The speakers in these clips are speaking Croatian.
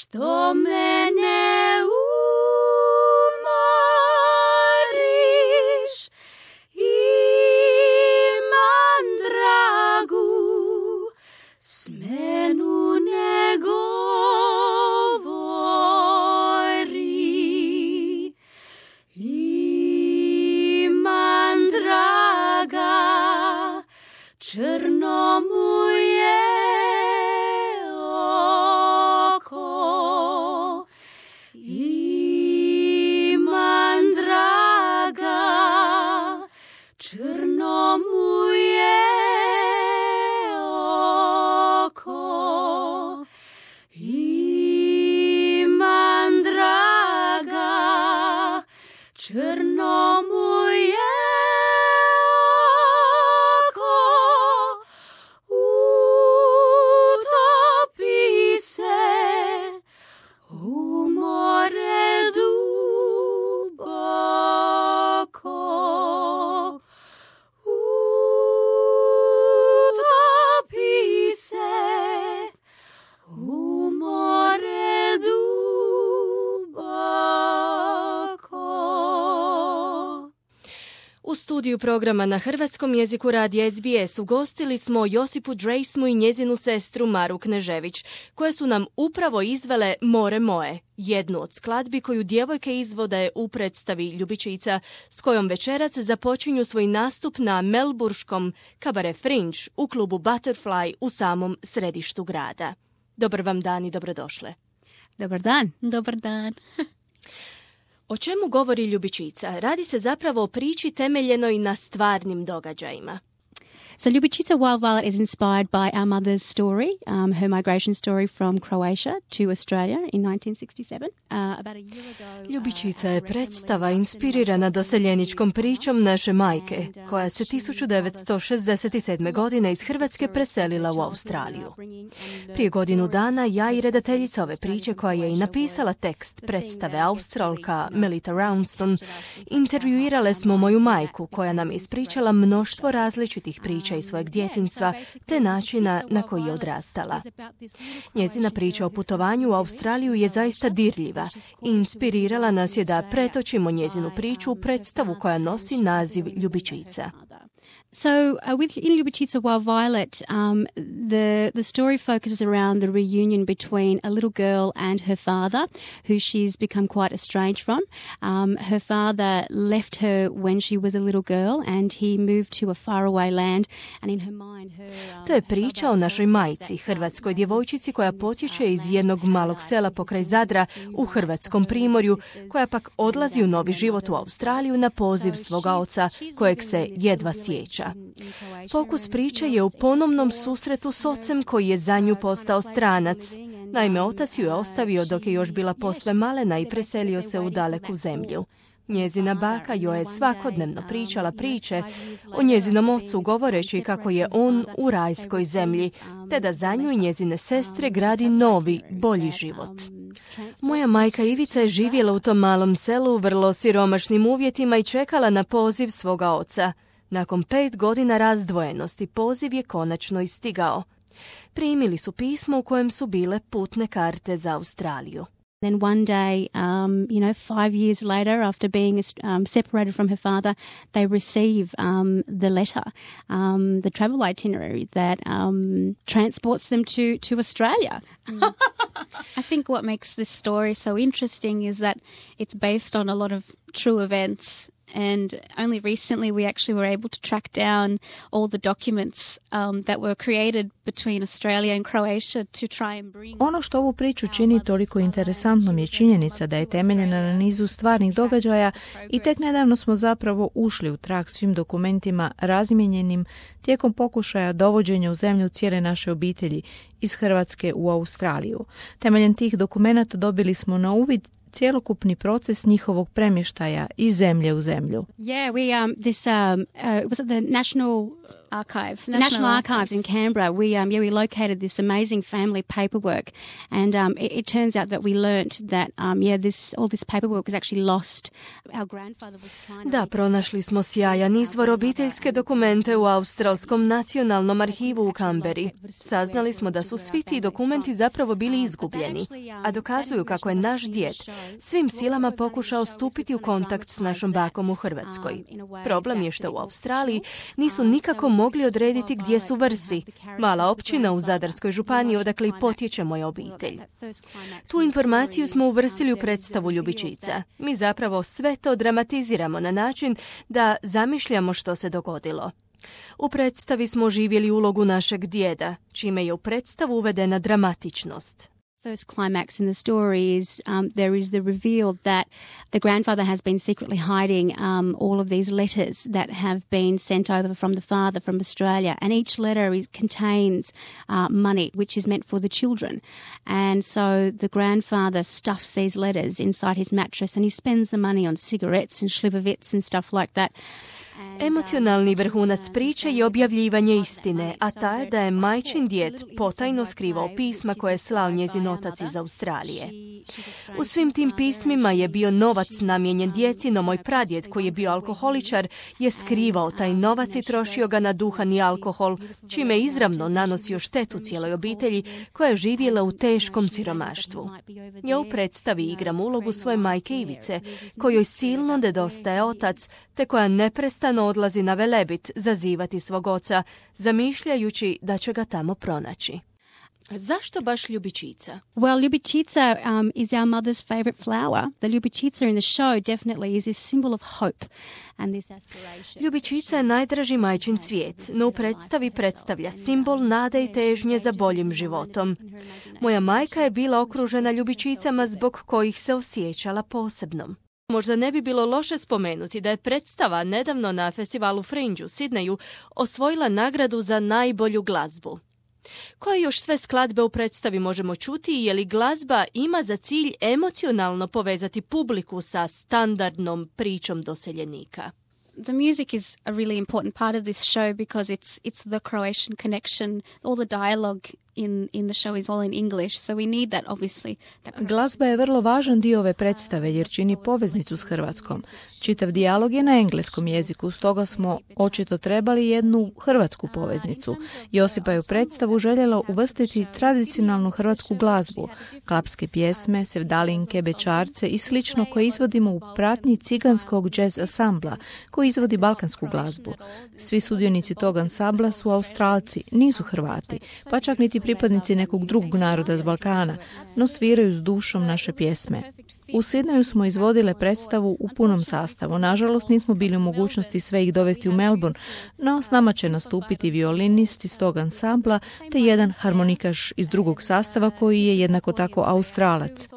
što mene umoriš, imam dragu smenu ne govori. Imam draga, crno mu je oko. Imam draga, crno mu je oko. Imam draga, crno mu je oko. Utopi se u more duboko. Utopi se u more duboko. U studiju programa na hrvatskom jeziku radija SBS ugostili smo Josipu Drejsmu i njezinu sestru Maru Knežević, koje su nam upravo izvele More moje, jednu od skladbi koju djevojke izvode u predstavi Ljubičica, s kojom večeras započinju svoj nastup na melburškom Cabaret Fringe u klubu Butterfly u samom središtu grada. Dobar vam dan i dobrodošle. Dobar dan. Dobar dan. O čemu govori Ljubičica? Radi se zapravo o priči temeljenoj na stvarnim događajima. So Ljubičica Wild Violet is inspired by our mother's story, her migration story from Croatia to Australia in 1967. About a year ago, Ljubičica je predstava inspirirana doseljeničkom pričom naše majke, koja se 1967. godine iz Hrvatske preselila u Australiju. Prije godinu dana ja i redateljica ove priče, koja je i napisala tekst predstave, Australka Melita Rownston, intervjuirale smo moju majku, koja nam je ispričala mnoštvo različitih priča iz svojeg djetinjstva te načina na koji je odrastala. Njezina priča o putovanju u Australiju je zaista dirljiva i inspirirala nas je da pretočimo njezinu priču u predstavu koja nosi naziv Ljubičica. So in Ljubičica Wild Violet, the story focuses around the reunion between a little girl and her father, who she's become quite estranged from. Her father left her when she was a little girl and he moved to a faraway land, and in her mind To je priča o našoj majci, hrvatskoj djevojčici koja potječe iz jednog malog sela pokraj Zadra u hrvatskom primorju, koja pak odlazi u novi život u Australiju na poziv svoga oca, kojeg se jedva sjeća. Fokus priče je u ponovnom susretu s ocem koji je za nju postao stranac. Naime, otac ju je ostavio dok je još bila posve malena i preselio se u daleku zemlju. Njezina baka joj je svakodnevno pričala priče o njezinom ocu, govoreći kako je on u rajskoj zemlji, te da za nju i njezine sestre gradi novi, bolji život. Moja majka Ivica je živjela u tom malom selu u vrlo siromašnim uvjetima i čekala na poziv svoga oca. Nakon 5 godina razdvojenosti poziv je konačno istigao. Primili su pismo u kojem su bile putne karte za Australiju. Then one day, 5 years later, after being separated from her father, they receive the letter, the travel itinerary that transports them to Australia. I think what makes this story so interesting is that it's based on a lot of true events. And only recently we actually were able to track down all the documents that were created between Australia and Croatia to try and bring... Ono što ovu priču čini toliko interesantnom je činjenica da je temeljena na nizu stvarnih događaja i tek nedavno smo zapravo ušli u trag svim dokumentima razmijenjenim tijekom pokušaja dovođenja u zemlju cijele naše obitelji iz Hrvatske u Australiju. Temeljem tih dokumenata dobili smo na uvid cjelokupni proces njihovog premještaja iz zemlje u zemlju. Yeah, we it was at the National Archives. National Archives in Canberra. We located this amazing family paperwork, and it turns out that we learnt that all this paperwork was actually lost. Our grandfather was trying to... Da, pronašli smo sjajan izvor obiteljske dokumente u Australskom nacionalnom arhivu u Canberri. Saznali smo da su svi ti dokumenti zapravo bili izgubljeni, a dokazuju kako je naš djed svim silama pokušao stupiti u kontakt s našom bakom u Hrvatskoj. Problem je što u Australiji nisu nikako mogli odrediti gdje su Vrsi, mala općina u Zadarskoj županiji odakle i potječe moja obitelj. Tu informaciju smo uvrstili u predstavu Ljubičica. Mi zapravo sve to dramatiziramo na način da zamišljamo što se dogodilo. U predstavi smo oživjeli ulogu našeg djeda, čime je u predstavu uvedena dramatičnost. First climax in the story is there is the reveal that the grandfather has been secretly hiding all of these letters that have been sent over from the father from Australia, and each letter contains money which is meant for the children. And so the grandfather stuffs these letters inside his mattress and he spends the money on cigarettes and slivovitz and stuff like that. Emocionalni vrhunac priče je objavljivanje istine, a ta je da je majčin djed potajno skrivao pisma koje je slao njezin otac iz Australije. U svim tim pismima je bio novac namijenjen djeci, no moj pradjed, koji je bio alkoholičar, je skrivao taj novac i trošio ga na duhan i alkohol, čime izravno nanosio štetu cijeloj obitelji koja je živjela u teškom siromaštvu. Ja u predstavi igram ulogu svoje majke Ivice, kojoj silno nedostaje otac, te koja neprestano odlazi na Velebit zazivati svog oca, zamišljajući da će ga tamo pronaći. Zašto baš ljubičica? Well, ljubičica is our mother's favorite flower. The ljubičica in the show definitely is a symbol of hope and this aspiration. Ljubičica je najdraži majčin cvijet, no u predstavi predstavlja simbol nade i težnje za boljim životom. Moja majka je bila okružena ljubičicama zbog kojih se osjećala posebnom. Možda ne bi bilo loše spomenuti da je predstava nedavno na festivalu Fringe u Sidneju osvojila nagradu za najbolju glazbu. Koje još sve skladbe u predstavi možemo čuti i je li glazba ima za cilj emocionalno povezati publiku sa standardnom pričom doseljenika? The music is a really important part of this show because it's the Croatian connection. All the dialogue in the show is all in English, so we need that obviously. Glazba je vrlo važan dio ove predstave jer čini poveznicu s Hrvatskom. Čitav dijalog je na engleskom jeziku, stoga smo očito trebali jednu hrvatsku poveznicu. Josipa je u predstavu željela uvrstiti tradicionalnu hrvatsku glazbu, klapske pjesme, sevdalinke, bečarce i slično koje izvodimo u pratnji ciganskog jazz ansambla koji izvodi balkansku glazbu. Svi sudionici tog ansambla su Australci, nisu Hrvati, pa čak niti pripadnici nekog drugog naroda s Balkana, no sviraju s dušom naše pjesme. U Sidneju smo izvodile predstavu u punom sastavu. Nažalost, nismo bili u mogućnosti sve ih dovesti u Melbourne, no s nama će nastupiti violinist iz tog ansambla te jedan harmonikaš iz drugog sastava koji je jednako tako Australac.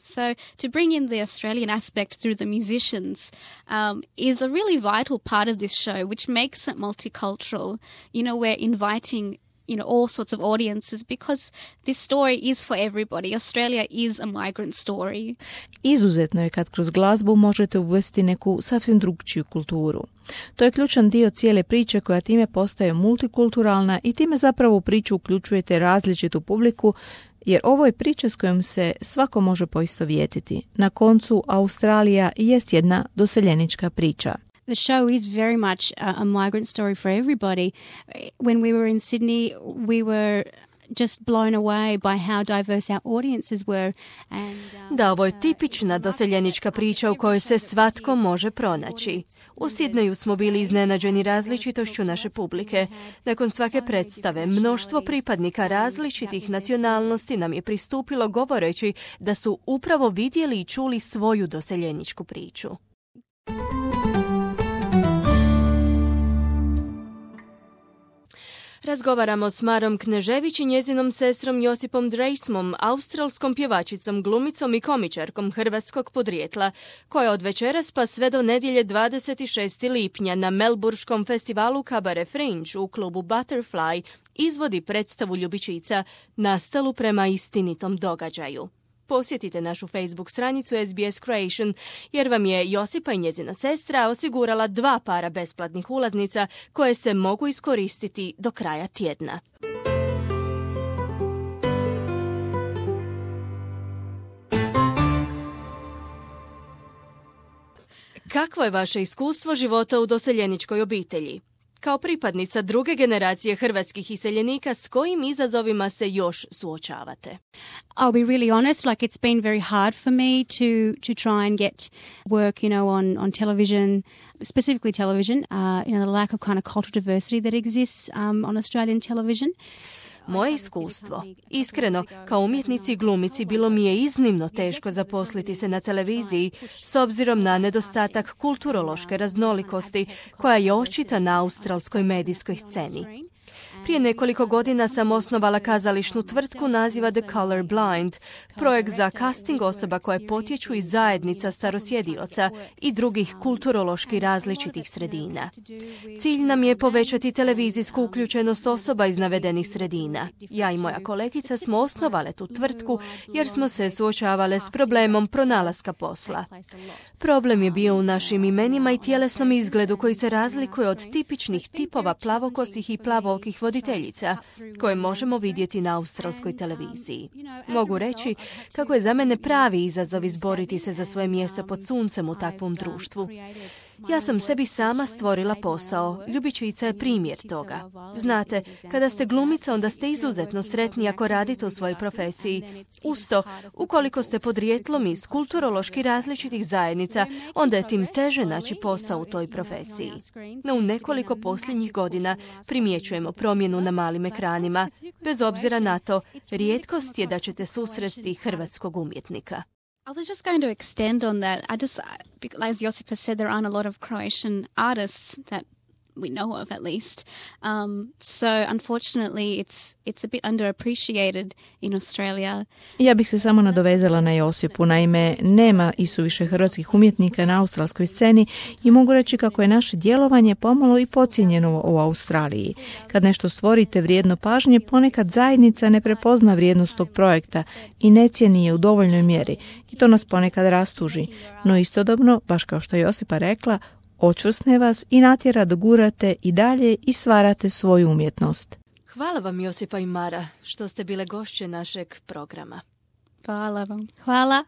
So to bring in the Australian aspect through the musicians is a really vital part of this show, which makes it multicultural. You know, we're inviting all sorts of audiences because this story is for everybody. Australia is a migrant story. Izuzetno je kad kroz glazbu možete uvesti neku sasvim drugčiju kulturu. To je ključan dio cijele priče koja time postaje multikulturalna i time zapravo u priču uključujete različitu publiku jer ovo je priča s kojom se svako može poistovjetiti. Na koncu, Australija jest jedna doseljenička priča. The show is very much a migrant story for everybody. When we were in Sydney, we were just blown away by how diverse our audiences were. Da, ovo je tipična doseljenička priča u kojoj se svatko može pronaći. U Sidneju smo bili iznenađeni različitošću naše publike. Nakon svake predstave, mnoštvo pripadnika različitih nacionalnosti nam je pristupilo govoreći da su upravo vidjeli i čuli svoju doseljeničku priču. Razgovaramo s Marom Knežević i njezinom sestrom Josipom Dreismom, australskom pjevačicom, glumicom i komičarkom hrvatskog podrijetla, koja od večeras pa sve do nedjelje 26. lipnja na melburškom festivalu Cabaret Fringe u klubu Butterfly izvodi predstavu Ljubičica nastalu prema istinitom događaju. Posjetite našu Facebook stranicu SBS Creation, jer vam je Josipa i njezina sestra osigurala 2 para besplatnih ulaznica koje se mogu iskoristiti do kraja tjedna. Kakvo je vaše iskustvo života u doseljeničkoj obitelji? Kao pripadnica druge generacije hrvatskih iseljenika, s kojim izazovima se još suočavate? I'll be really honest, like it's been very hard for me to try and get work, on television, specifically television, the lack of kind of cultural diversity that exists on Australian television. Moje iskustvo. Iskreno, kao umjetnici i glumici bilo mi je iznimno teško zaposliti se na televiziji s obzirom na nedostatak kulturološke raznolikosti koja je očita na australskoj medijskoj sceni. Prije nekoliko godina sam osnovala kazališnu tvrtku naziva The Color Blind, projekt za casting osoba koje potječu iz zajednica starosjedioca i drugih kulturološki različitih sredina. Cilj nam je povećati televizijsku uključenost osoba iz navedenih sredina. Ja i moja kolegica smo osnovale tu tvrtku jer smo se suočavale s problemom pronalaska posla. Problem je bio u našim imenima i tjelesnom izgledu koji se razlikuje od tipičnih tipova plavokosih i plavookih voditeljica koje možemo vidjeti na australskoj televiziji. Mogu reći kako je za mene pravi izazov izboriti se za svoje mjesto pod suncem u takvom društvu. Ja sam sebi sama stvorila posao. Ljubičica je primjer toga. Znate, kada ste glumica, onda ste izuzetno sretni ako radite u svojoj profesiji. Usto, ukoliko ste podrijetlom iz kulturološki različitih zajednica, onda je tim teže naći posao u toj profesiji. No u nekoliko posljednjih godina primjećujemo promjenu na malim ekranima. Bez obzira na to, rijetkost je da ćete susresti hrvatskog umjetnika. I was just going to extend on that. As Josipa said, there aren't a lot of Croatian artists that we know of, at least. So unfortunately, it's a bit underappreciated in Australia. Ja bih se samo nadovezala na Josipu. Naime, nema isuviše hrvatskih umjetnika na australskoj sceni i mogu reći kako je naše djelovanje pomalo i podcijenjeno u Australiji. Kad nešto stvorite vrijedno pažnje, ponekad zajednica ne prepozna vrijednost tog projekta i ne cijeni je u dovoljnoj mjeri i to nas ponekad rastuži. No istodobno, baš kao što je Josipa rekla, očvrsne vas i natjera da gurate i dalje i stvarate svoju umjetnost. Hvala vam, Josipa i Mara, što ste bile gošće našeg programa. Hvala vam. Hvala.